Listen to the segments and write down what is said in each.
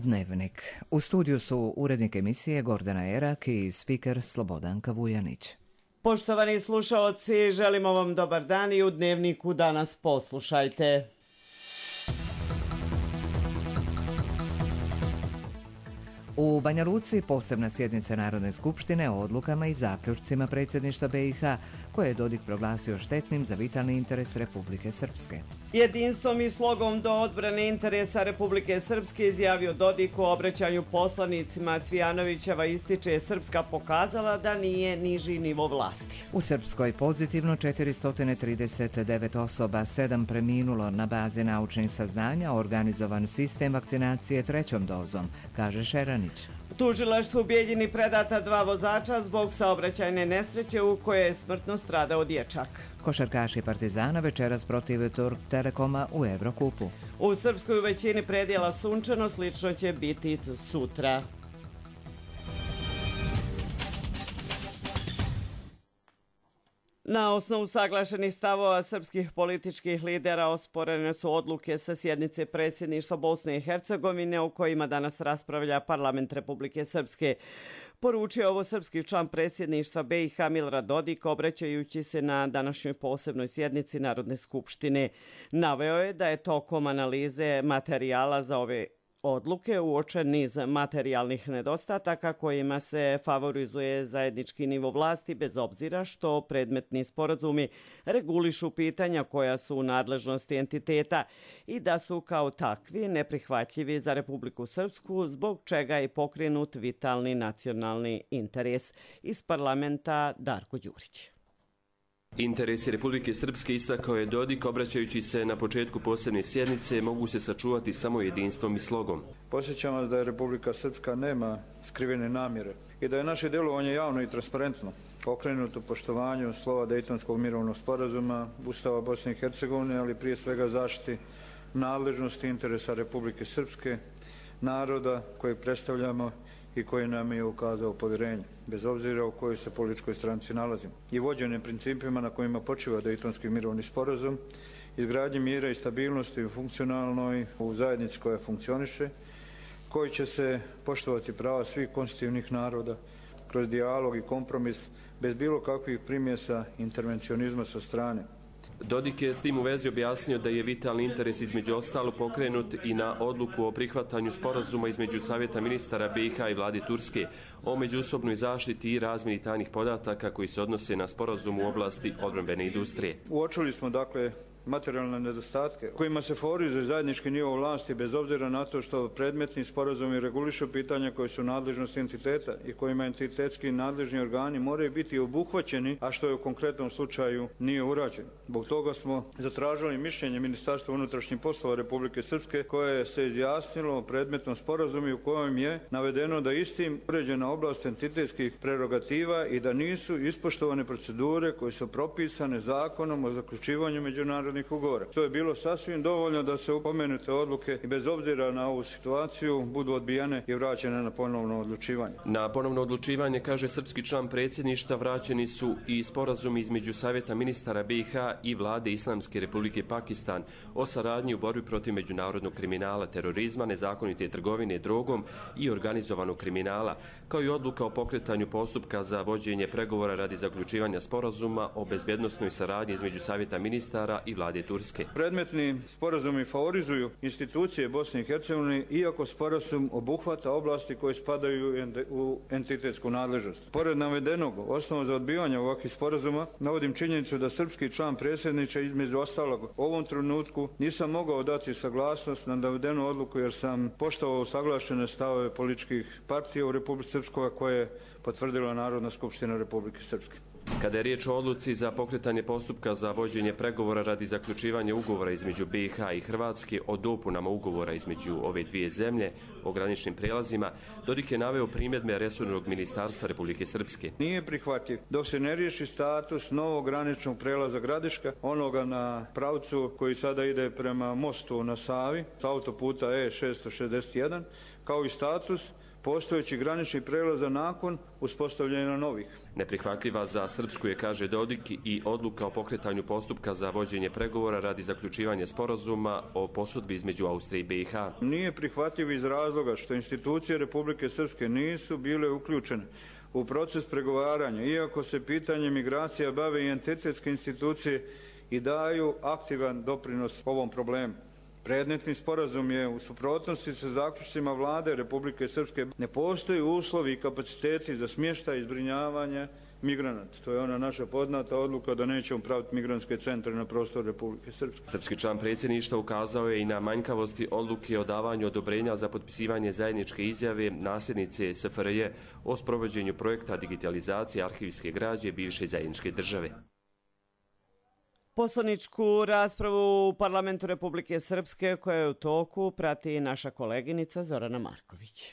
Dnevnik. U studiju su urednik emisije Gordana Erak i spiker Slobodanka Vujanić. Poštovani slušaoci, želimo vam dobar dan i u Dnevniku danas poslušajte. U Banja Luci posebna sjednica Narodne skupštine o odlukama i zaključcima predsjedništva BiH, koje je Dodik proglasio štetnim za vitalni interes Republike Srpske. Jedinstvom i slogom do odbrane interesa Republike Srpske izjavio Dodik u obraćanju poslanicima. Cvijanovićeva ističe Srpska pokazala da nije niži nivo vlasti. U Srpskoj pozitivno 439 osoba, 7 preminulo na bazi naučnih saznanja, organizovan sistem vakcinacije 3. dozom, kaže Šeranić. U tužilaštvu Bijeljini predata 2 vozača zbog saobraćajne nesreće u kojoj je smrtno stradao dječak. Košarkaši Partizana večeras protiv Turk Telekoma u Evrokupu. U Srpskoj u većini predjela sunčano, slično će biti sutra. Na osnovu saglašenih stavova srpskih političkih lidera osporene su odluke sa sjednice predsjedništva Bosne i Hercegovine o kojima danas raspravlja parlament Republike Srpske. Poručio ovo srpski član predsjedništva BiH Milorad Dodik obraćajući se na današnjoj posebnoj sjednici Narodne skupštine. Naveo je da je tokom analize materijala za ove odluke uočen niz materijalnih nedostataka kojima se favorizuje zajednički nivo vlasti bez obzira što predmetni sporazumi regulišu pitanja koja su u nadležnosti entiteta i da su kao takvi neprihvatljivi za Republiku Srpsku, zbog čega je pokrenut vitalni nacionalni interes. Iz parlamenta Darko Đurić. Interesi Republike Srpske, istakao je Dodik, obraćajući se na početku posebne sjednice, mogu se sačuvati samo jedinstvom i slogom. Podsjećam vas da je Republika Srpska nema skrivene namjere i da je naše djelovanje javno i transparentno, okrenuto poštovanju slova Dejtonskog mirovnog sporazuma, Ustava Bosne i Hercegovine, ali prije svega zaštiti nadležnosti interesa Republike Srpske, naroda kojeg predstavljamo i koji nam je ukazao povjerenje, bez obzira u kojoj se političkoj stranci nalazimo. I vođene principima na kojima počiva Dejtonski mirovni sporazum, izgradnje mira i stabilnosti u funkcionalnoj, u zajednici koja funkcioniše, koji će se poštovati prava svih konstitutivnih naroda kroz dijalog i kompromis, bez bilo kakvih primjesa intervencionizma sa strane. Dodik je s tim u vezi objasnio da je vitalni interes između ostalo pokrenut i na odluku o prihvatanju sporazuma između Savjeta ministara BiH i vlade Turske o međusobnoj zaštiti i razmjeni tajnih podataka koji se odnose na sporazum u oblasti odbrambene industrije. Uočili smo dakle materijalne nedostatke kojima se favorizuje zajednički nivo vlasti bez obzira na to što predmetni sporazumi regulišu pitanja koje su nadležnosti entiteta i kojima entitetski nadležni organi moraju biti obuhvaćeni, a što je u konkretnom slučaju nije urađeno. Zbog toga smo zatražili mišljenje Ministarstva unutrašnjih poslova Republike Srpske koje se izjasnilo o predmetnom sporazumu u kojem je navedeno da istim uređena oblast entitetskih prerogativa i da nisu ispoštovane procedure koje su propisane zakonom o zaključivanju međunarodnih ugovora. To je bilo sasvim dovoljno da se pomenute odluke i bez obzira na ovu situaciju budu odbijane i vraćene na ponovno odlučivanje. Na ponovno odlučivanje, kaže srpski član predsjedništva, vraćeni su i sporazumi između Savjeta ministara BiH i vlade Islamske Republike Pakistan o saradnji u borbi protiv međunarodnog kriminala, terorizma, nezakonite trgovine drogom i organizovanog kriminala, kao i odluka o pokretanju postupka za vođenje pregovora radi zaključivanja sporazuma o bezbjednosnoj saradnji između Savjeta ministara i vlade Turske. Predmetni sporazumi favorizuju institucije Bosne i Hercegovine, iako sporazum obuhvata oblasti koje spadaju u entitetsku nadležnost. Pored navedenog, osnova za odbijanje ovakvih sporazuma, navodim činjenicu da srpski član predsjedniča između ostalog u ovom trenutku nisam mogao dati saglasnost na navedenu odluku jer sam poštovao usaglašene stavove političkih partija u Republici Srpskoj koje je potvrdila Narodna skupština Republike Srpske. Kada je riječ o odluci za pokretanje postupka za vođenje pregovora radi zaključivanja ugovora između BiH i Hrvatske o dopunama ugovora između ove dvije zemlje o graničnim prijelazima, Dodik je naveo primjedbe resornog ministarstva Republike Srpske. Nije prihvatljiv dok se ne riješi status novog graničnog prijelaza Gradiška, onoga na pravcu koji sada ide prema mostu na Savi, s autoputa E661, kao i status postojećih graničnih prelaza nakon uspostavljanja novih. Neprihvatljiva za Srpsku je, kaže Dodik, i odluka o pokretanju postupka za vođenje pregovora radi zaključivanja sporazuma o posudbi između Austrije i BiH. Nije prihvatljiv iz razloga što institucije Republike Srpske nisu bile uključene u proces pregovaranja, iako se pitanje migracija bave i entitetske institucije i daju aktivan doprinos ovom problemu. Predmetni sporazum je u suprotnosti sa zaključcima vlade Republike Srpske. Ne postoji uslovi i kapaciteti za smještaj i zbrinjavanje migranata. To je ona naša poznata odluka da nećemo praviti migrantske centre na prostoru Republike Srpske. Srpski član predsjedništva ukazao je i na manjkavosti odluke o davanju odobrenja za potpisivanje zajedničke izjave nasljednice SFRJ o sprovođenju projekta digitalizacije arhivske građe bivše zajedničke države. Poslaničku raspravu u Parlamentu Republike Srpske koja je u toku prati naša koleginica Zorana Marković.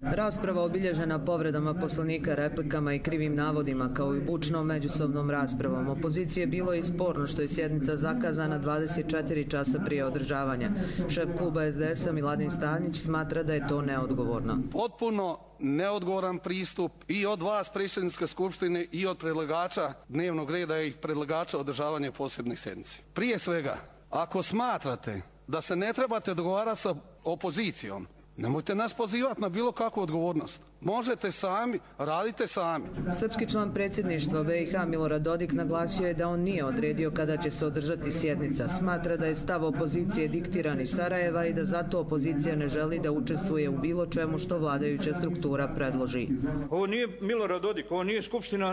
Rasprava obilježena povredama poslanika, replikama i krivim navodima, kao i bučnom međusobnom raspravom opozicije, bilo je i sporno što je sjednica zakazana 24 časa prije održavanja. Šef kluba SDS-a Miladin Stanjić smatra da je to neodgovorno. Potpuno neodgovoran pristup i od vas, predsjedničke skupštine, i od predlagača dnevnog reda i predlagača održavanja posebnih sjednici. Prije svega, ako smatrate da se ne trebate dogovarati sa opozicijom, nemojte nas pozivati na bilo kakvu odgovornost. Možete sami, radite sami. Srpski član predsjedništva BiH Milorad Dodik naglasio je da on nije odredio kada će se održati sjednica. Smatra da je stav opozicije diktiran iz Sarajeva i da zato opozicija ne želi da učestvuje u bilo čemu što vladajuća struktura predloži. Ovo nije Milorad Dodik, ovo nije Skupština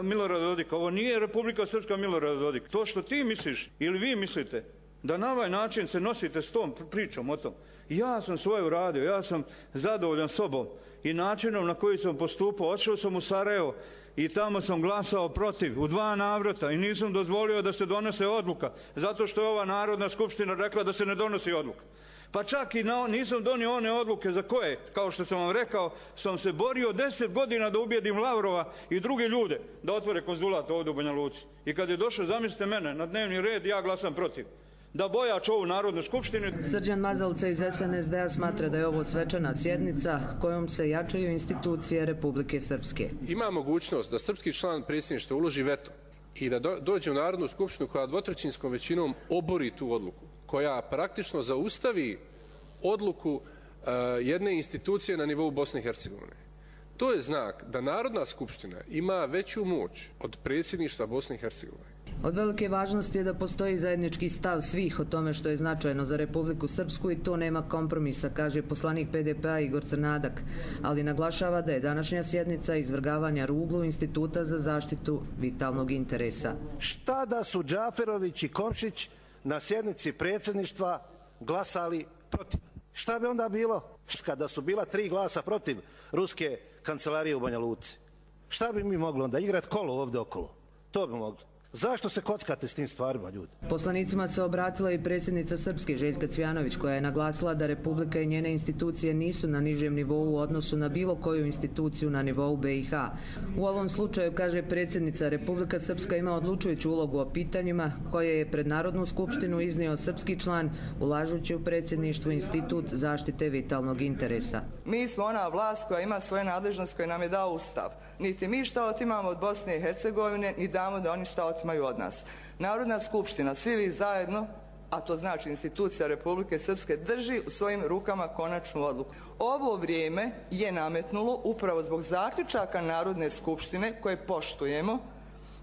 Milorada Dodika, ovo nije Republika Srpska Milorada Dodik. To što ti misliš ili vi mislite da na ovaj način se nosite s tom pričom o tom. Ja sam svoje uradio, ja sam zadovoljan sobom i načinom na koji sam postupao. Odšao sam u Sarajevo i tamo sam glasao protiv u 2 navrata i nisam dozvolio da se donese odluka, zato što je ova Narodna skupština rekla da se ne donosi odluka. Pa čak i nisam donio one odluke za koje, kao što sam vam rekao, sam se borio 10 godina da ubijedim Lavrova i druge ljude da otvore konzulat ovdje u Banja Luci. I kad je došao, zamislite mene, na dnevni red, ja glasam protiv. Da bojač ovu Narodnu skupštinu. Srđan Mazalca iz SNSD-a smatra da je ovo svečana sjednica kojom se jačaju institucije Republike Srpske. Ima mogućnost da srpski član predsjedništva uloži veto i da dođe u Narodnu skupštinu koja dvotrećinskom većinom obori tu odluku, koja praktično zaustavi odluku jedne institucije na nivou Bosne i Hercegovine. To je znak da Narodna skupština ima veću moć od predsjedništva Bosne i Hercegovine. Od velike važnosti je da postoji zajednički stav svih o tome što je značajno za Republiku Srpsku i to nema kompromisa, kaže poslanik PDP-a Igor Crnadak, ali naglašava da je današnja sjednica izvrgavanja ruglu Instituta za zaštitu vitalnog interesa. Šta da su Džaferović i Komšić na sjednici predsjedništva glasali protiv? Šta bi onda bilo kada su bila 3 glasa protiv ruske kancelarije u Banja Luci? Šta bi mi mogli onda igrati kolo ovdje okolo? To bi mogli. Zašto se kockate s tim stvarima, ljudi? Poslanicima se obratila i predsjednica Srpske Željka Cvjanović, koja je naglasila da Republika i njene institucije nisu na nižem nivou u odnosu na bilo koju instituciju na nivou BiH. U ovom slučaju, kaže predsjednica, Republika Srpska ima odlučujuću ulogu o pitanjima koje je pred Narodnu skupštinu iznio srpski član, ulažući u predsjedništvo Institut zaštite vitalnog interesa. Mi smo ona vlast koja ima svoje nadležnost koje nam je dao Ustav. Niti mi šta otimamo od Bosne i Hercegovine, ni damo da oni šta otimaju od nas. Narodna skupština, svi vi zajedno, a to znači institucija Republike Srpske, drži u svojim rukama konačnu odluku. Ovo vrijeme je nametnulo upravo zbog zaključaka Narodne skupštine koje poštujemo,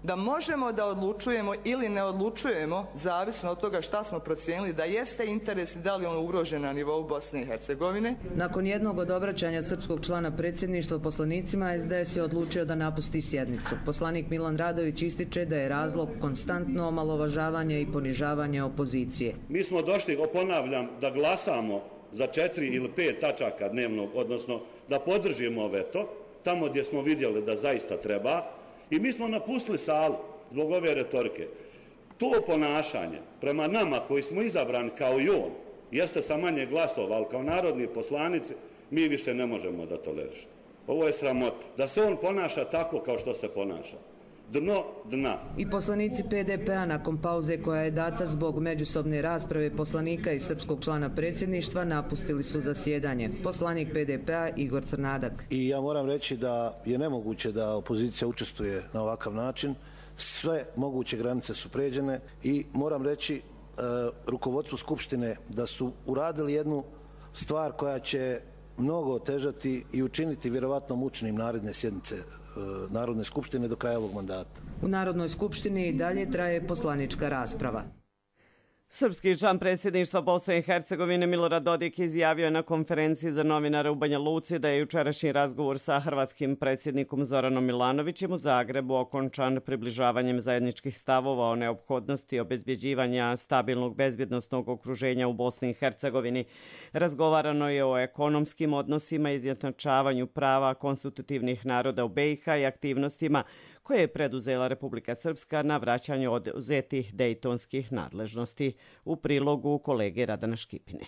da možemo da odlučujemo ili ne odlučujemo, zavisno od toga šta smo procijenili da jeste interes i da li on ugrožen na nivou Bosne i Hercegovine. Nakon jednog od obraćanja srpskog člana predsjedništva poslanicima, SDS je odlučio da napusti sjednicu. Poslanik Milan Radović ističe da je razlog konstantno omalovažavanje i ponižavanje opozicije. Mi smo došli, ponavljam, da glasamo za 4 ili 5 tačaka dnevnog, odnosno da podržimo veto, tamo gdje smo vidjeli da zaista treba. I mi smo napustili salu zbog ove retorike. To ponašanje prema nama koji smo izabrani kao i on, jeste sa manje glasova, ali kao narodni poslanici mi više ne možemo da tolerišemo. Ovo je sramota. Da se on ponaša tako kao što se ponaša. dno dna. I poslanici PDP-a nakon pauze koja je data zbog međusobne rasprave poslanika i srpskog člana predsjedništva napustili su zasjedanje. Poslanik PDP-a Igor Crnadak. I ja moram reći da je nemoguće da opozicija učestvuje na ovakav način. Sve moguće granice su pređene i moram reći rukovodstvu Skupštine da su uradili jednu stvar koja će mnogo otežati i učiniti vjerovatno mučnim naredne sjednice Narodne skupštine do kraja ovog mandata. U Narodnoj skupštini i dalje traje poslanička rasprava. Srpski član predsjedništva Bosne i Hercegovine Milorad Dodik izjavio je na konferenciji za novinare u Banja Luci da je jučerašnji razgovor sa hrvatskim predsjednikom Zoranom Milanovićem u Zagrebu okončan približavanjem zajedničkih stavova o neophodnosti obezbjeđivanja stabilnog bezbjednosnog okruženja u Bosni i Hercegovini. Razgovarano je o ekonomskim odnosima, izjednačavanju prava konstitutivnih naroda u BiH i aktivnostima koje je preduzela Republika Srpska na vraćanju oduzetih dejtonskih nadležnosti. U prilogu kolege Radana Škipine.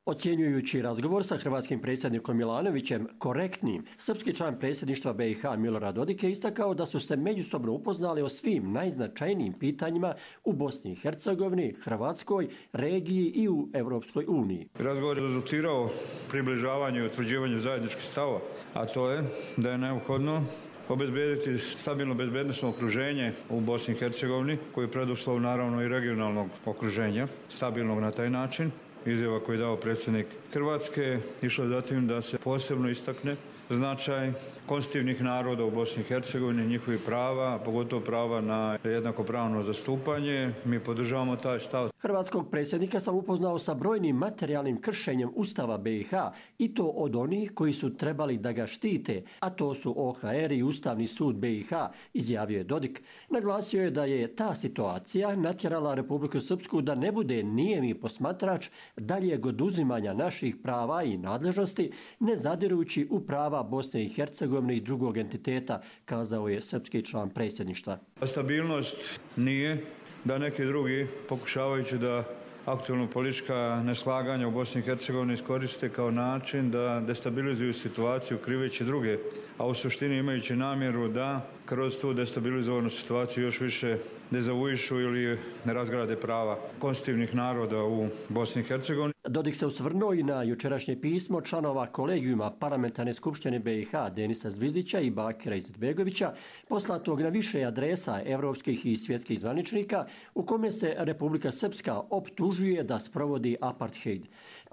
Ocjenjujući razgovor sa hrvatskim predsjednikom Milanovićem korektnim, srpski član predsjedništva BiH Milorad Dodik je istakao da su se međusobno upoznali o svim najznačajnijim pitanjima u Bosni i Hercegovini, Hrvatskoj, regiji i u Europskoj uniji. Razgovor je rezultirao približavanju i utvrđivanju zajedničkih stavova, a to je da je neophodno obezbediti stabilno bezbednosno okruženje u Bosni i Hercegovini, koji je preduslov naravno i regionalnog okruženja, stabilnog na taj način. Izjava koju je dao predsjednik Hrvatske išla zatim da se posebno istakne značaj konstitutivnih naroda u Bosni i Hercegovini, njihovih prava, pogotovo prava na jednakopravno zastupanje. Mi podržavamo taj stav. Hrvatskog predsjednika sam upoznao sa brojnim materijalnim kršenjem Ustava BiH i to od onih koji su trebali da ga štite, a to su OHR i Ustavni sud BiH, izjavio je Dodik. Naglasio je da je ta situacija natjerala Republiku Srpsku da ne bude nijemi posmatrač daljeg oduzimanja naših prava i nadležnosti, ne zadirujući u prava Bosne i Hercegovine i drugog entiteta, kazao je srpski član predsjedništva. Stabilnost nije da neki drugi, pokušavajući da aktualno politička neslaganja u Bosni i Hercegovini iskoriste kao način da destabilizuju situaciju kriveći druge, a u suštini imajući namjeru da kroz tu destabilizovanu situaciju još više dezavuišu ili razgrade prava konstitutivnih naroda u Bosni i Hercegovini. Dodik se osvrnuo i na jučerašnje pismo članova kolegijuma Parlamentarne skupštine BiH Denisa Zvizdića i Bakira Izetbegovića, poslatog na više adresa evropskih i svjetskih zvaničnika, u kome se Republika Srpska optužuje da sprovodi apartheid.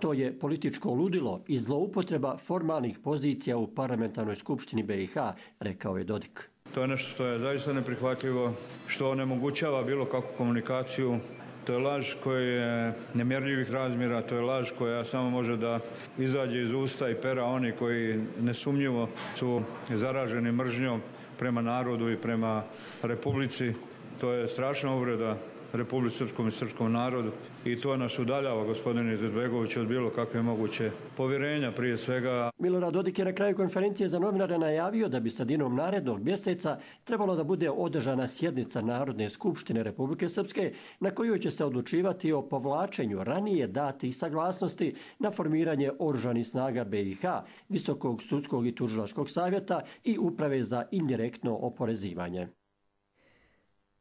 To je političko ludilo i zloupotreba formalnih pozicija u Parlamentarnoj skupštini BiH, rekao je Dodik. To je nešto što je zaista neprihvatljivo, što onemogućava bilo kakvu komunikaciju. To je laž koja je nemjerljivih razmjera, to je laž koja samo može da izađe iz usta i pera oni koji nesumnjivo su zaraženi mržnjom prema narodu i prema Republici. To je strašna uvreda Republici Srpskom i srpskom narodu i to nas udaljava, gospodine Izetbegović, od bilo kakve moguće povjerenja prije svega. Milorad Dodik je na kraju konferencije za novinare najavio da bi sredinom narednog mjeseca trebalo da bude održana sjednica Narodne skupštine Republike Srpske na kojoj će se odlučivati o povlačenju ranije datih saglasnosti na formiranje oružanih snaga BiH, Visokog sudskog i tužilačkog savjeta i Uprave za indirektno oporezivanje.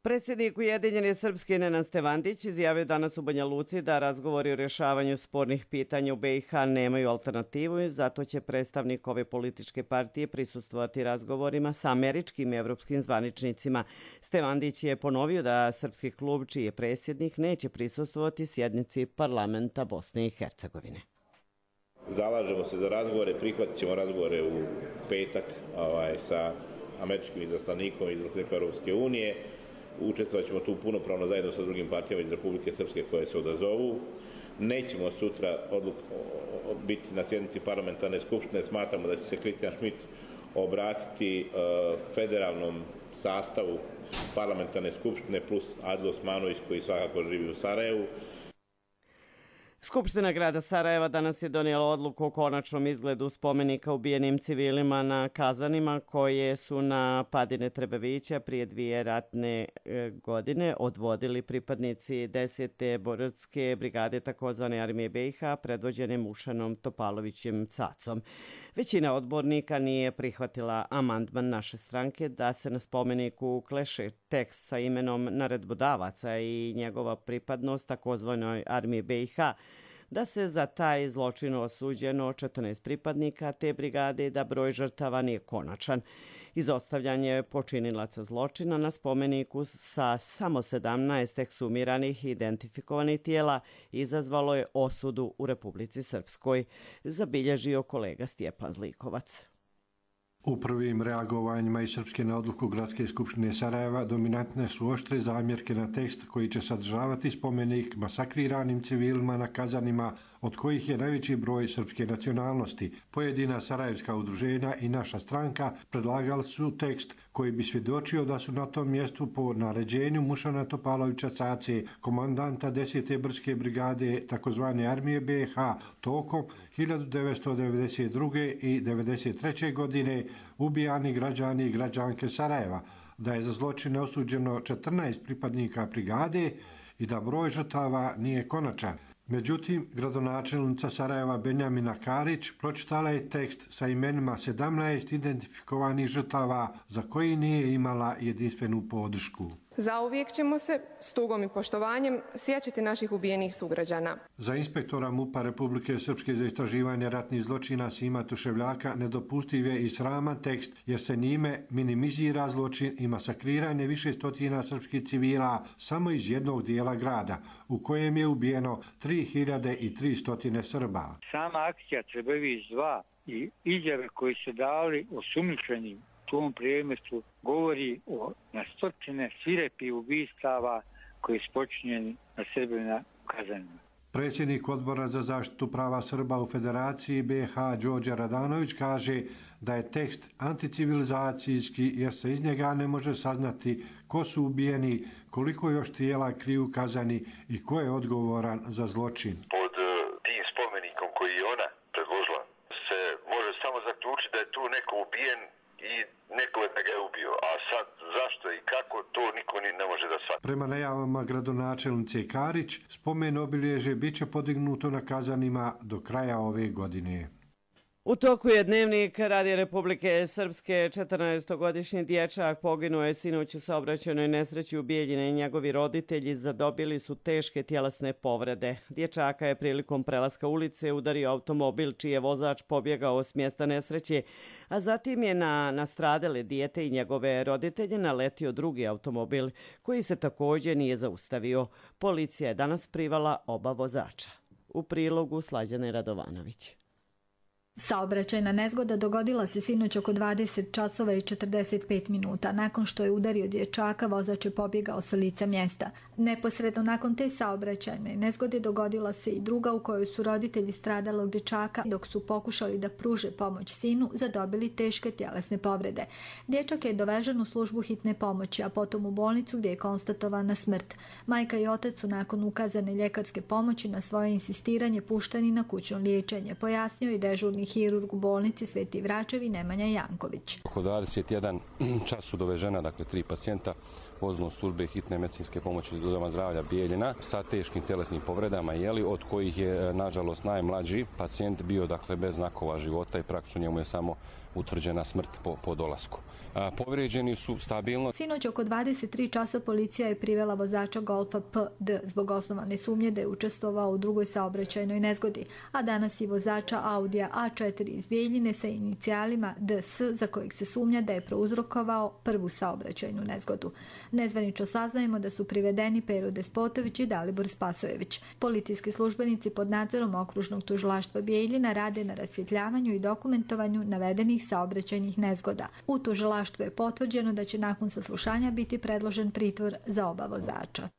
Predsjednik Ujedinjene Srpske Nenad Stevandić izjavio danas u Banja Luci da razgovori o rješavanju spornih pitanja u BiH nemaju alternativu i zato će predstavnik ove političke partije prisustvovati razgovorima sa američkim i evropskim zvaničnicima. Stevandić je ponovio da srpski klub, čiji je predsjednik, neće prisustvovati sjednici parlamenta Bosne i Hercegovine. Zalažemo se za razgovore, prihvatit ćemo razgovore u petak sa američkim izaslanikom i izaslanikom Europske unije. Učestvovat ćemo tu punopravno zajedno sa drugim partijama iz Republike Srpske koje se odazovu. Nećemo sutra biti na sjednici parlamentarne skupštine. Smatramo da će se Kristijan Šmit obratiti federalnom sastavu parlamentarne skupštine plus Adil Osmanović koji svakako živi u Sarajevu. Skupština grada Sarajeva danas je donijela odluku o konačnom izgledu spomenika ubijenim civilima na Kazanima koje su na padine Trebevića prije 2 ratne godine odvodili pripadnici 10. boračke brigade takozvane armije BiH predvođene Mušanom Topalovićem Cacom. Većina odbornika nije prihvatila amandman naše stranke da se na spomeniku ukleše tekst sa imenom naredbodavaca i njegova pripadnost takozvanoj armiji BiH, da se za taj zločin osuđeno 14 pripadnika te brigade i da broj žrtava nije konačan. Izostavljanje počinilaca zločina na spomeniku sa samo 17 ekshumiranih i identifikovanih tijela izazvalo je osudu u Republici Srpskoj, zabilježio kolega Stjepan Zlikovac. U prvim reagovanjima iz Srpske na odluku Gradske skupštine Sarajeva dominantne su oštre zamjerke na tekst koji će sadržavati spomenik masakriranim civilima na Kazanima, od kojih je najveći broj srpske nacionalnosti. Pojedina sarajevska udruženja i naša stranka predlagali su tekst koji bi svjedočio da su na tom mjestu po naređenju Mušana Topalovića Cace, komandanta 10. boračke brigade takozvane armije BiH, tokom 1992. i 1993. godine ubijani građani i građanke Sarajeva, da je za zločine osuđeno 14 pripadnika brigade i da broj žrtava nije konačan. Međutim, gradonačelnica Sarajeva Benjamina Karić pročitala je tekst sa imenima 17 identifikovanih žrtava za koji nije imala jedinstvenu podršku. Zauvijek ćemo se s tugom i poštovanjem sjećati naših ubijenih sugrađana. Za inspektora MUP-a Republike Srpske za istraživanje ratnih zločina Sima Tuševljaka nedopustiv je i sraman tekst jer se njime minimizira zločin i masakriranje više stotina srpskih civila samo iz jednog dijela grada u kojem je ubijeno 3300 Srba. Sama akcija Trebević 2 i izjave koji su dali osumnjičenim u tom predmetu govori o na stotine svirepih ubistava koji su počinjeni na Srbima u Kazanima. Predsjednik Odbora za zaštitu prava Srba u Federaciji BiH Đorđe Radanović kaže da je tekst anticivilizacijski jer se iz njega ne može saznati ko su ubijeni, koliko još tijela kriju Kazani i ko je odgovoran za zločin. Pod tim spomenikom koji je ona predložila se može samo zaključiti da je tu neko ubijen i neko je da ga je ubio, a sad zašto i kako, to niko ne može da shvati. Prema najavama gradonačelnice Karić, spomen obilježje bit će podignuto na Kazanima do kraja ove godine. U toku je Dnevnik Radija Republike Srpske. 14-godišnji dječak poginuo je sinoć u saobraćajnoj nesreći u Bijeljini. Njegovi roditelji zadobili su teške tjelesne povrede. Dječaka je prilikom prelaska ulice udario automobil čiji je vozač pobjegao s mjesta nesreće, a zatim je na nastradale dijete i njegove roditelje naletio drugi automobil koji se također nije zaustavio. Policija je danas privala oba vozača. U prilogu Slađane Radovanović. Saobraćajna nezgoda dogodila se sinoć oko 20 časova i 45 minuta. Nakon što je udario dječaka, vozač je pobjegao sa lica mjesta. Neposredno nakon te saobraćajne nezgode dogodila se i druga u kojoj su roditelji stradalog dječaka, dok su pokušali da pruže pomoć sinu, zadobili teške tjelesne povrede. Dječak je dovežen u službu hitne pomoći, a potom u bolnicu gdje je konstatovana smrt. Majka i otac su nakon ukazane ljekarske pomoći na svoje insistiranje pušteni na kućno liječenje, pojasnio i dežurni hirurg u bolnici Sveti Vračevi Nemanja Janković. Oko 21 čas su dovežena, dakle 3 pacijenta vozilom službe hitne medicinske pomoći Doma zdravlja Bijeljina sa teškim tjelesnim povredama, od kojih je nažalost najmlađi pacijent bio dakle bez znakova života i praktično njemu je samo utvrđena smrt po dolasku. Povrijeđeni su stabilno. Sinoć oko 23 časa policija je privela vozača Golfa PD zbog osnovane sumnje da je učestvovao u drugoj saobraćajnoj nezgodi, a danas i vozača Audija A4 iz Bijeljine sa inicijalima DS za kojeg se sumnja da je prouzrokovao prvu saobraćajnu nezgodu. Nezvanično saznajemo da su privedeni Pero Despotović i Dalibor Spasojević. Policijski službenici pod nadzorom okružnog tužilaštva Bijeljina rade na rasvjetljavanju i dokumentovanju navedenih saobraćajnih nezgoda. U tužilaštvu je potvrđeno da će nakon saslušanja biti predložen pritvor za oba vozača.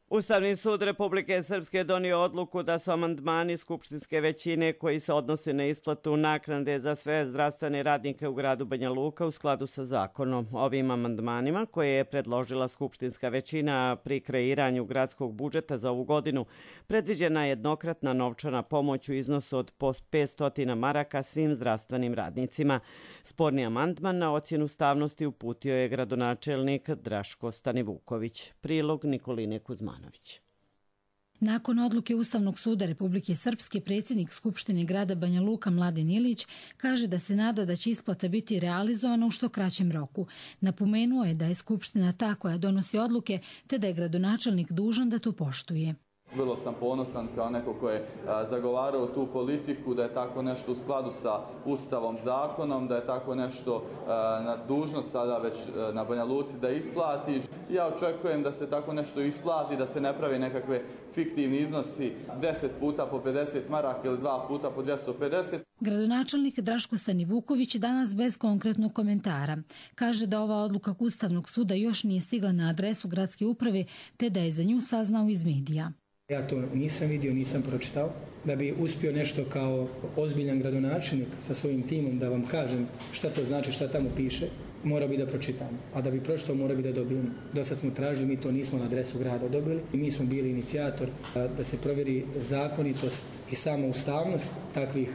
Ustavni sud Republike Srpske donio odluku da su amandmani skupštinske većine koji se odnose na isplatu naknade za sve zdravstvene radnike u gradu Banja Luka u skladu sa zakonom. Ovim amandmanima koje je predložila skupštinska većina pri kreiranju gradskog budžeta za ovu godinu predviđena je jednokratna novčana pomoć u iznosu od 500 maraka svim zdravstvenim radnicima. Sporni amandman na ocjenu ustavnosti uputio je gradonačelnik Draško Stanivuković. Prilog Nikoline Kuzmanović. Nakon odluke Ustavnog suda Republike Srpske, predsjednik Skupštine grada Banja Luka Mladen Ilić kaže da se nada da će isplata biti realizovana u što kraćem roku. Napomenuo je da je Skupština ta koja donosi odluke, te da je gradonačelnik dužan da to poštuje. Vrlo sam ponosan kao neko ko je zagovarao tu politiku, da je tako nešto u skladu sa Ustavom, zakonom, da je tako nešto na dužnost sada već na Banja Luci da isplati. Ja očekujem da se tako nešto isplati, da se ne pravi nekakve fiktivni iznosi 10 puta po 50 maraka ili 2 puta po 250. Gradonačelnik Draško Stanivuković danas bez konkretnog komentara. Kaže da ova odluka Ustavnog suda još nije stigla na adresu gradske uprave, te da je za nju saznao iz medija. Ja to nisam vidio, nisam pročitao. Da bi uspio nešto kao ozbiljan gradonačelnik sa svojim timom da vam kažem šta to znači, šta tamo piše, mora bi da pročitam. A da bi pročitao, mora bi da dobijem. Do sad smo tražili, mi to nismo na adresu grada dobili. I mi smo bili inicijator da se provjeri zakonitost i sama ustavnost takvih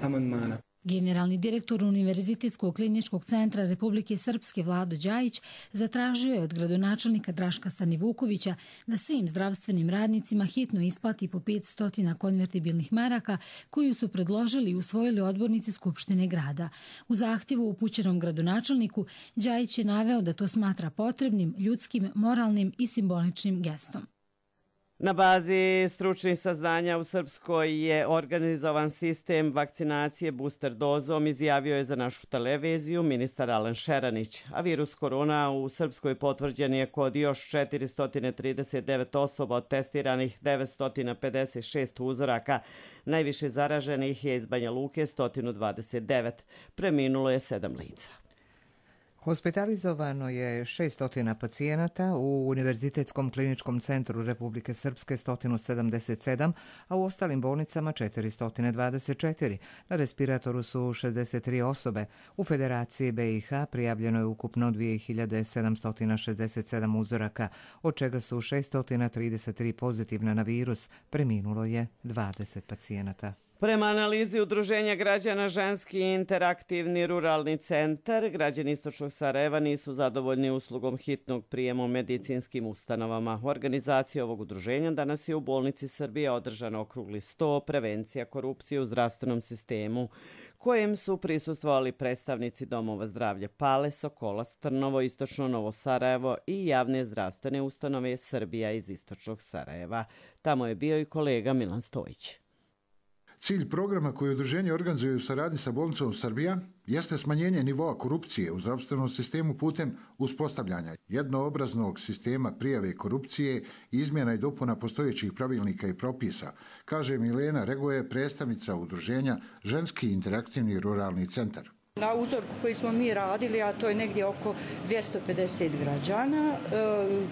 amandmana. Generalni direktor Univerzitetskog kliničkog centra Republike Srpske Vlado Đajić zatražio je od gradonačelnika Draška Stanivukovića da svim zdravstvenim radnicima hitno isplati po 500 konvertibilnih maraka koju su predložili i usvojili odbornici Skupštine grada. U zahtjevu upućenom gradonačelniku Đajić je naveo da to smatra potrebnim, ljudskim, moralnim i simboličnim gestom. Na bazi stručnih saznanja u Srpskoj je organizovan sistem vakcinacije booster dozom, izjavio je za našu televiziju ministar Alen Šeranić. A virus korona u Srpskoj potvrđen je kod još 439 osoba od testiranih 956 uzoraka. Najviše zaraženih je iz Banja Luke 129. Preminulo je 7 lica. Hospitalizovano je 600 pacijenata, u Univerzitetskom kliničkom centru Republike Srpske 177, a u ostalim bolnicama 424. Na respiratoru su 63 osobe. U Federaciji BiH prijavljeno je ukupno 2767 uzoraka, od čega su 633 pozitivna na virus. Preminulo je 20 pacijenata. Prema analizi Udruženja građana Ženski interaktivni ruralni centar, građani Istočnog Sarajeva nisu zadovoljni uslugom hitnog prijema u medicinskim ustanovama. U organizaciji ovog udruženja danas je u bolnici Srbije održan okrugli sto prevencija korupcije u zdravstvenom sistemu, kojem su prisustvovali predstavnici domova zdravlja Pale, Sokolac, Trnovo, Istočno Novo Sarajevo i javne zdravstvene ustanove Srbija iz Istočnog Sarajeva. Tamo je bio i kolega Milan Stojić. Cilj programa koji udruženje organizuje u saradnji sa bolnicom Srbija jeste smanjenje nivoa korupcije u zdravstvenom sistemu putem uspostavljanja jednoobraznog sistema prijave korupcije, izmjena i dopuna postojećih pravilnika i propisa, kaže Milena Regoje, predstavnica udruženja Ženski interaktivni ruralni centar. Na uzorku koji smo mi radili, a to je negdje oko 250 građana,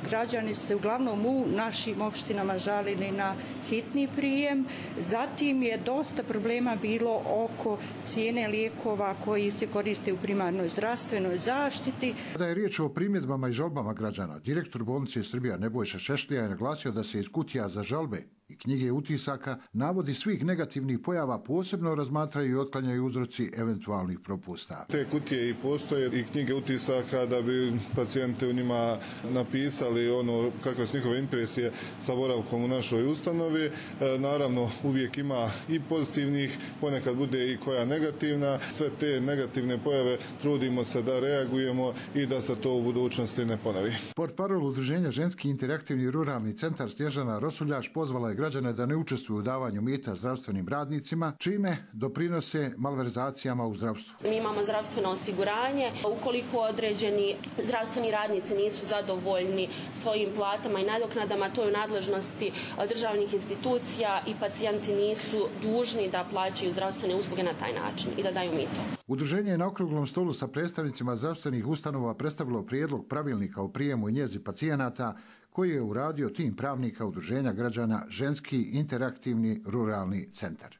građani se uglavnom u našim opštinama žalili na hitni prijem. Zatim je dosta problema bilo oko cijene lijekova koji se koriste u primarnoj zdravstvenoj zaštiti. Kada je riječ o primjedbama i žalbama građana, direktor bolnice Srbija Nebojša Šešlija je naglasio da se iz kutija za žalbe i knjige utisaka navodi svih negativnih pojava posebno razmatraju i otklanjaju uzroci eventualnih propusta. Te kutije i postoje i knjige utisaka da bi pacijente u njima napisali ono kakve su njihove impresije sa boravkom u našoj ustanovi. Naravno uvijek ima i pozitivnih, ponekad bude i koja negativna. Sve te negativne pojave trudimo se da reagujemo i da se to u budućnosti ne ponovi. Portparol udruženja Ženski interaktivni ruralni centar Snježana Rosuljaš pozvala je građane da ne učestvuju u davanju mita zdravstvenim radnicima, čime doprinose malverzacijama u zdravstvu. Mi imamo zdravstveno osiguranje. Ukoliko određeni zdravstveni radnici nisu zadovoljni svojim platama i nadoknadama, to je u nadležnosti državnih institucija i pacijenti nisu dužni da plaćaju zdravstvene usluge na taj način i da daju mito. Udruženje je na okruglom stolu sa predstavnicima zdravstvenih ustanova predstavilo prijedlog pravilnika o prijemu i njezi pacijenata koji je uradio tim pravnika Udruženja građana Ženski interaktivni ruralni centar.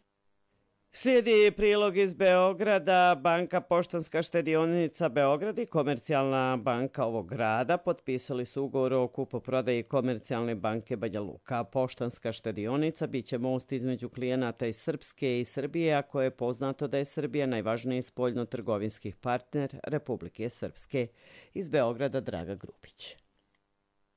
Slijedi prilog iz Beograda. Banka Poštanska štedionica Beograd i Komercijalna banka ovog grada potpisali su ugovor o kupoprodaji Komercijalne banke Banja Luka. Poštanska štedionica biće most između klijenata iz Srpske i Srbije, a koje je poznato da je Srbija najvažniji spoljno-trgovinski partner Republike Srpske. Iz Beograda Draga Grupić.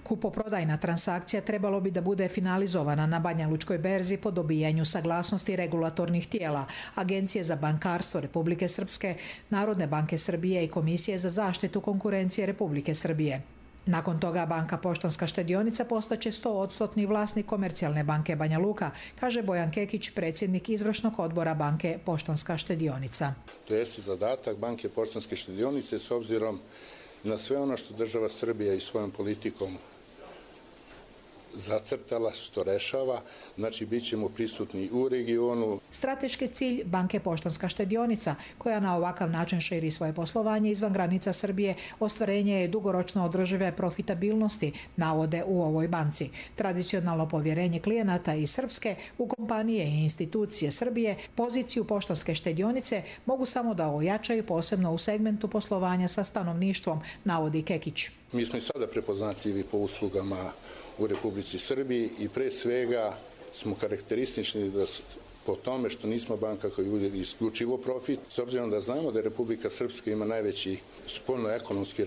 Kupoprodajna transakcija trebalo bi da bude finalizovana na Banjalučkoj berzi po dobijanju saglasnosti regulatornih tijela, Agencije za bankarstvo Republike Srpske, Narodne banke Srbije i Komisije za zaštitu konkurencije Republike Srbije. Nakon toga Banka Poštanska štedionica postaće 100% vlasnik Komercijalne banke Banja Luka, kaže Bojan Kekić, predsjednik izvršnog odbora Banke Poštanska štedionica. To jeste zadatak Banke Poštanske štedionice s obzirom na sve ono što država Srbija i svojom politikom zacrtala, što rešava, znači bit ćemo prisutni u regionu. Strateški cilj Banke Poštanska štedionica, koja na ovakav način širi svoje poslovanje izvan granica Srbije, ostvarenje je dugoročno održive profitabilnosti, navode u ovoj banci. Tradicionalno povjerenje klijenata iz Srpske u kompanije i institucije Srbije poziciju Poštanske štedionice mogu samo da ojačaju, posebno u segmentu poslovanja sa stanovništvom, navodi Kekić. Mi smo i sada prepoznatljivi po uslugama u Republici Srbiji i pre svega smo karakteristični po tome što nismo banka koja uvodi isključivo profit, s obzirom da znamo da Republika Srpska ima najveći spoljno-ekonomski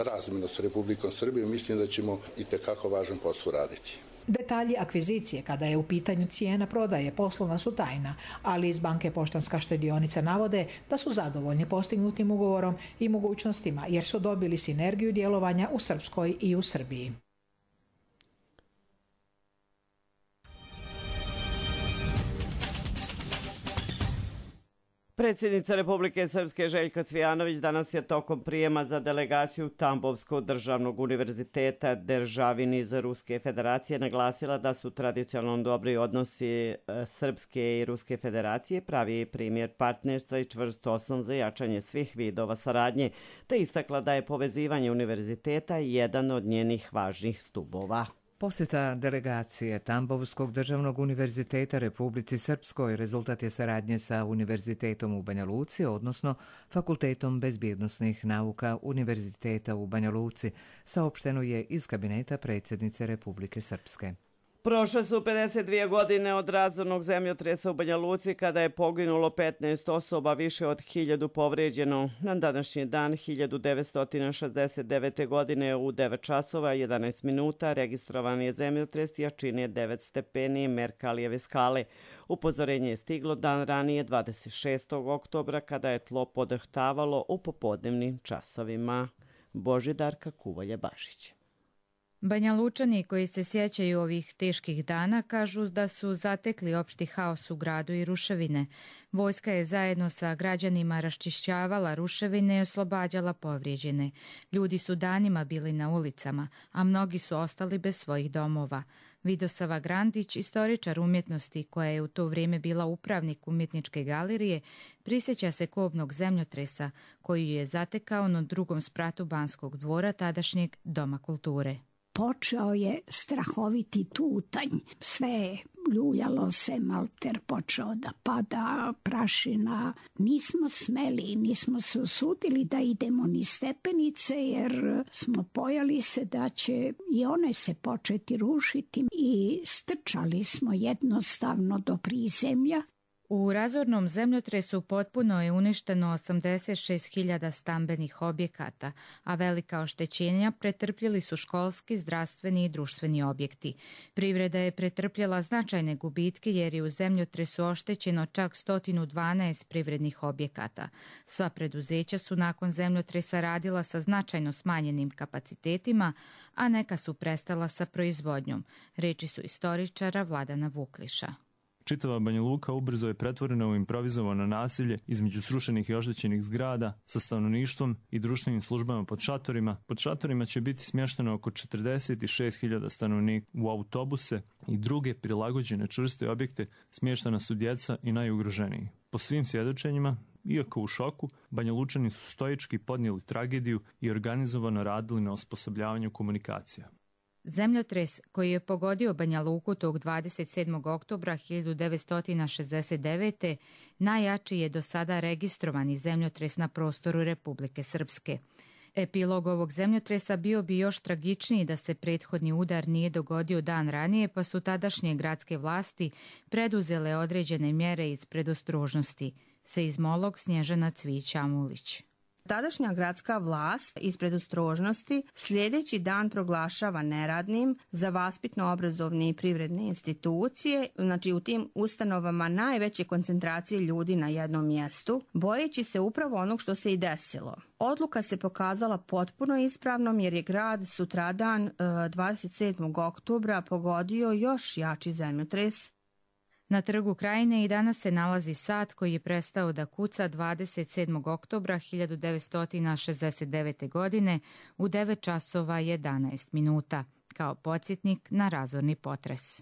razmjenu sa Republikom Srbijom, mislim da ćemo i tekako važan posao raditi. Detalji akvizicije, kada je u pitanju cijena prodaje, poslovna su tajna, ali iz Banke Poštanska štedionica navode da su zadovoljni postignutim ugovorom i mogućnostima, jer su dobili sinergiju djelovanja u Srpskoj i u Srbiji. Predsjednica Republike Srpske Željka Cvijanović danas je tokom prijema za delegaciju Tambovskog državnog univerziteta Državini iz Ruske federacije naglasila da su tradicionalno dobri odnosi Srpske i Ruske federacije pravi primjer partnerstva i čvrst osnov za jačanje svih vidova saradnje, te istakla da je povezivanje univerziteta jedan od njenih važnih stubova. Posjeta delegacije Tambovskog državnog univerziteta Republici Srpskoj rezultat je saradnje sa Univerzitetom u Banja Luci, odnosno Fakultetom bezbjednosnih nauka Univerziteta u Banja Luci, saopšteno je iz kabineta predsjednice Republike Srpske. Prošle su 52 godine od razornog zemljotresa u Banja Luci kada je poginulo 15 osoba, više od 1000 povrijeđeno. Na današnji dan 1969. godine u 9 časova 11 minuta registrovan je zemljotres jačine 9 stepeni Merkalijeve skale. Upozorenje je stiglo dan ranije 26. oktobra kada je tlo podrhtavalo u popodnevnim časovima. Božidarka Kuvalje-Bašić. Banja Lučani koji se sjećaju ovih teških dana kažu da su zatekli opšti haos u gradu i ruševine. Vojska je zajedno sa građanima raščišćavala ruševine i oslobađala povrijeđene. Ljudi su danima bili na ulicama, a mnogi su ostali bez svojih domova. Vidosava Grandić, istoričar umjetnosti koja je u to vrijeme bila upravnik umjetničke galerije, prisjeća se kobnog zemljotresa koju je zatekao na drugom spratu Banskog dvora tadašnjeg Doma kulture. Počeo je strahoviti tutanj, sve ljuljalo se, malter počeo da pada, prašina. Nismo smeli, nismo se usudili da idemo ni stepenice jer smo bojali se da će i one se početi rušiti i strčali smo jednostavno do prizemlja. U razornom zemljotresu potpuno je uništeno 86.000 stambenih objekata, a velika oštećenja pretrpjeli su školski, zdravstveni i društveni objekti. Privreda je pretrpjela značajne gubitke jer je u zemljotresu oštećeno čak 112 privrednih objekata. Sva preduzeća su nakon zemljotresa radila sa značajno smanjenim kapacitetima, a neka su prestala sa proizvodnjom. Reči su istoričara Vladana Vukliša. Čitava Banja Luka ubrzo je pretvorena u improvizovano nasilje između srušenih i oštećenih zgrada sa stanovništvom i društvenim službama pod šatorima. Pod šatorima će biti smješteno oko 46.000 stanovnika. U autobuse i druge prilagođene čvrste objekte smještena su djeca i najugroženiji. Po svim svjedočenjima, iako u šoku, Banja Lučani su stoički podnijeli tragediju i organizovano radili na osposobljavanju komunikacija. Zemljotres koji je pogodio Banja Luku tog 27. oktobra 1969. najjači je do sada registrovani zemljotres na prostoru Republike Srpske. Epilog ovog zemljotresa bio bi još tragičniji da se prethodni udar nije dogodio dan ranije, pa su tadašnje gradske vlasti preduzele određene mjere iz predostrožnosti. Seizmolog Snježana Cvić-Amulić. Tadašnja gradska vlast iz predostrožnosti sljedeći dan proglašava neradnim za vaspitno-obrazovne i privredne institucije, znači u tim ustanovama najveće koncentracije ljudi na jednom mjestu, bojeći se upravo onog što se i desilo. Odluka se pokazala potpuno ispravnom jer je grad sutradan 27. oktobra pogodio još jači zemljotres. Na Trgu Krajine i danas se nalazi sat koji je prestao da kuca 27. oktobra 1969. godine u 9 časova 11 minuta, kao podsjetnik na razorni potres.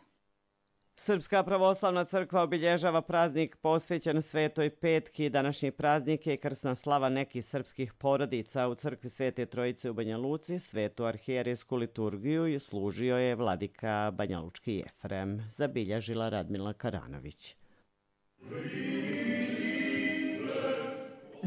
Srpska pravoslavna crkva obilježava praznik posvećen Svetoj Petki. Današnji praznik je krsna slava nekih srpskih porodica. U crkvi Svete Trojice u Banja Luci svetu arhijerejsku liturgiju i služio je vladika banjalučki Jefrem, zabilježila Radmila Karanović.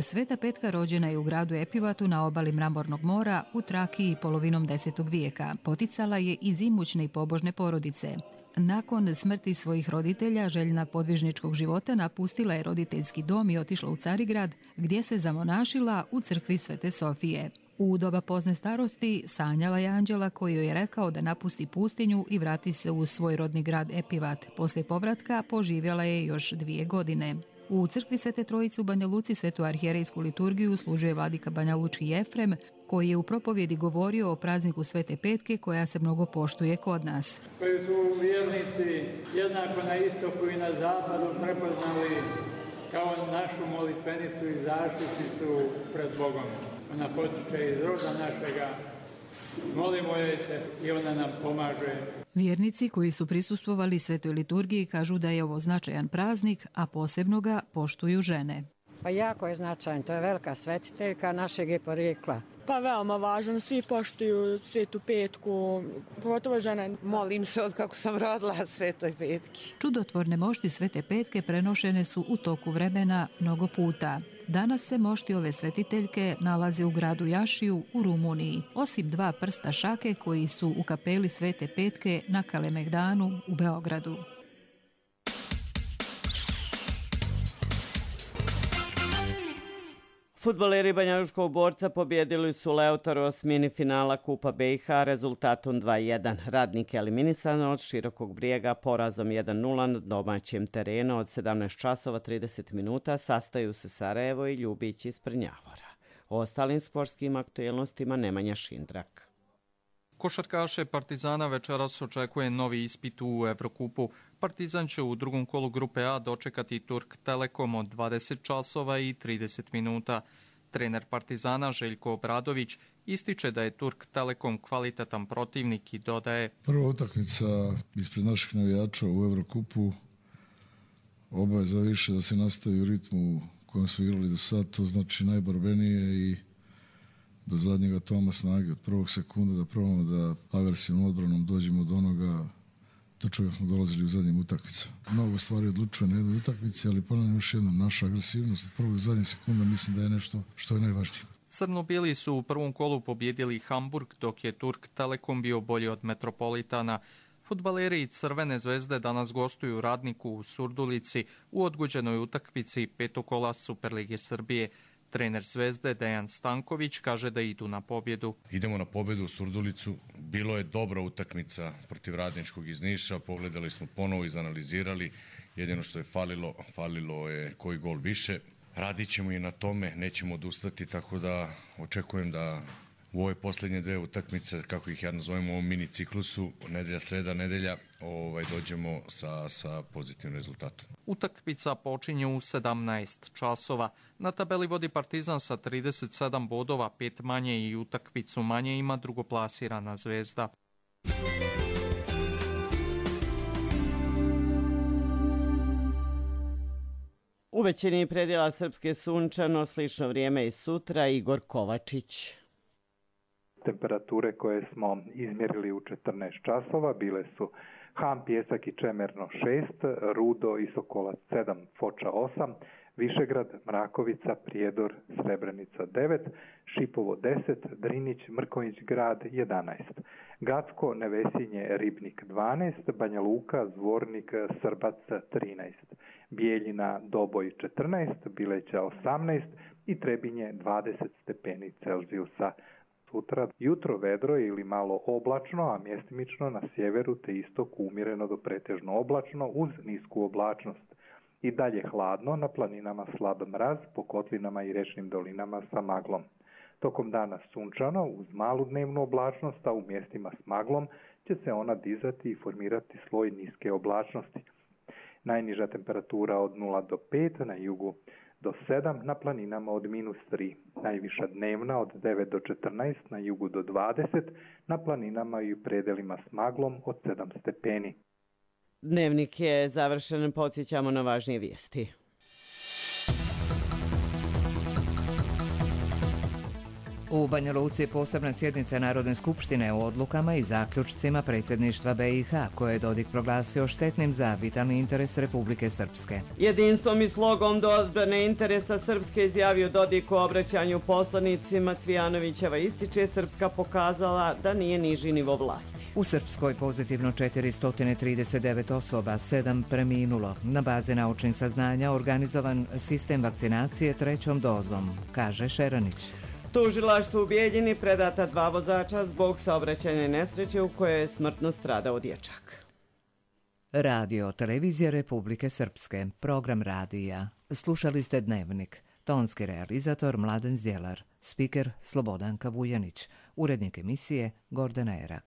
Sveta Petka rođena je u gradu Epivatu na obali Mramornog mora u Trakiji polovinom 10. vijeka. Poticala je iz imućne i pobožne porodice. Nakon smrti svojih roditelja, željna podvižničkog života, napustila je roditeljski dom i otišla u Carigrad, gdje se zamonašila u crkvi Svete Sofije. U doba pozne starosti sanjala je anđela koji joj je rekao da napusti pustinju i vrati se u svoj rodni grad Epivat. Poslije povratka poživjela je još 2 godine. U crkvi Svete Trojice u Banja Luci svetu arhijerejsku liturgiju služio je vladika banjalučki Jefrem, koji je u propovjedi govorio o prazniku Svete Petke koja se mnogo poštuje kod nas. Koji su vjernici jednako na istoku i na zapadu prepoznali kao našu molitvenicu i zaštitnicu pred Bogom. Ona potiče iz roda našega, molimo joj se i ona nam pomaže. Vjernici koji su prisustvovali svetoj liturgiji kažu da je ovo značajan praznik, a posebno ga poštuju žene. Pa jako je značajan, to je velika svetiteljka našeg je porijekla. Pa veoma važno, svi poštuju Svetu Petku, pogotovo žene. Molim se od kako sam rodila Svetoj Petki. Čudotvorne mošti Svete Petke prenošene su u toku vremena mnogo puta. Danas se mošti ove svetiteljke nalaze u gradu Jašiju u Rumuniji, osim 2 prsta šake koji su u kapeli Svete Petke na Kalemegdanu u Beogradu. Fudbaleri Banjalučkog Borca pobjedili su Leotaru osmini finala Kupa BiH rezultatom 2:1. Radnik je eliminisan od Širokog Brijega porazom 1:0 na domaćem terenu. Od 17 časova 30 minuta sastaju se Sarajevo i Ljubić iz Prnjavora. O ostalim sportskim aktuelnostima Nemanja Šindrak. Košarkaše Partizana večeras očekuje novi ispit u Evrokupu. Partizan će u drugom kolu grupe A dočekati Turk Telekom od 20 časova i 30 minuta. Trener Partizana Željko Obradović ističe da je Turk Telekom kvalitetan protivnik i dodaje: Prva utakmica ispred naših navijača u Evrokupu, obaveza više da se nastavi u ritmu kojem su igrali do sad, to znači najborbenije i do zadnjega toma snage, od prvog sekunda da probamo da agresivnom odbranom dođemo do onoga do čega smo dolazili u zadnjim utakmicama. Mnogo stvari odlučuje na jednoj utakmici, ali ponavljam još jednom, naša agresivnost od prvog do zadnjeg sekunda mislim da je nešto što je najvažnije. Crno-bili su u prvom kolu pobjedili Hamburg, dok je Turk Telekom bio bolji od Metropolitana. Fudbaleri i Crvene zvezde danas gostuju Radniku u Surdulici u odgođenoj utakmici 5. kola Superlige Srbije. Trener Zvezde Dejan Stanković kaže da idu na pobjedu. Idemo na pobjedu u Surdulicu. Bilo je dobra utakmica protiv Radničkog iz Niša. Pogledali smo ponovo, izanalizirali. Jedino što je falilo je koji gol više. Radit ćemo i na tome, nećemo odustati, tako da očekujem da u ove posljednje 2 utakmice, kako ih ja nazovem u ovom mini ciklusu, nedjelja, sreda, nedjelja, dođemo sa pozitivnim rezultatom. Utakmica počinje u 17 časova. Na tabeli vodi Partizan sa 37 bodova, 5 manje i utakmicu manje ima drugoplasirana Zvezda. U većini predjela Srpske sunčano, slično vrijeme i sutra. Igor Kovačić. Temperature koje smo izmjerili u 14 časova bile su Ham, Pjesak i Čemerno 6, Rudo i Sokolac 7, Foča 8, Višegrad, Mrakovica, Prijedor, Srebrenica 9, Šipovo 10, Drinić, Mrkonjić grad 11, Gacko, Nevesinje, Ribnik 12, Banja Luka, Zvornik, Srbac 13, Bijeljina, Doboj 14, Bileća 18 i Trebinje 20 stepeni Celzijusa. Sutra jutro vedro ili malo oblačno, a mjestimično na sjeveru te istoku umjereno do pretežno oblačno uz nisku oblačnost. I dalje hladno, na planinama slab mraz, po kotlinama i rečnim dolinama sa maglom. Tokom dana sunčano, uz malu dnevnu oblačnost, a u mjestima s maglom će se ona dizati i formirati sloj niske oblačnosti. Najniža temperatura od 0 do 5, na jugu do 7, na planinama od -3. Najviša dnevna od 9 do 14, na jugu do 20, na planinama i u predelima s maglom od 7 stepeni. Dnevnik je završen, podsjećamo na važnije vijesti. U Banja Luci posebna sjednica Narodne skupštine o odlukama i zaključcima predsjedništva BiH, koje je Dodik proglasio štetnim za vitalni interes Republike Srpske. Jedinstvom i slogom do odbrane interesa Srpske izjavio Dodik u obraćanju poslanicima. Cvijanovićeva ističe Srpska pokazala da nije niži nivo vlasti. U Srpskoj pozitivno 439 osoba, 7 preminulo. Na bazi naučnih saznanja organizovan sistem vakcinacije 3. dozom, kaže Šeranić. Tužilaštvu u Bijeljini predata 2 vozača zbog saobraćajne nesreće u kojoj je smrtno stradao dječak. Radio Televizija Republike Srpske, program radija. Slušali ste Dnevnik. Tonski realizator Mladen Zdjelar, spiker Slobodanka Vujanić, urednik emisije Gordana Erak.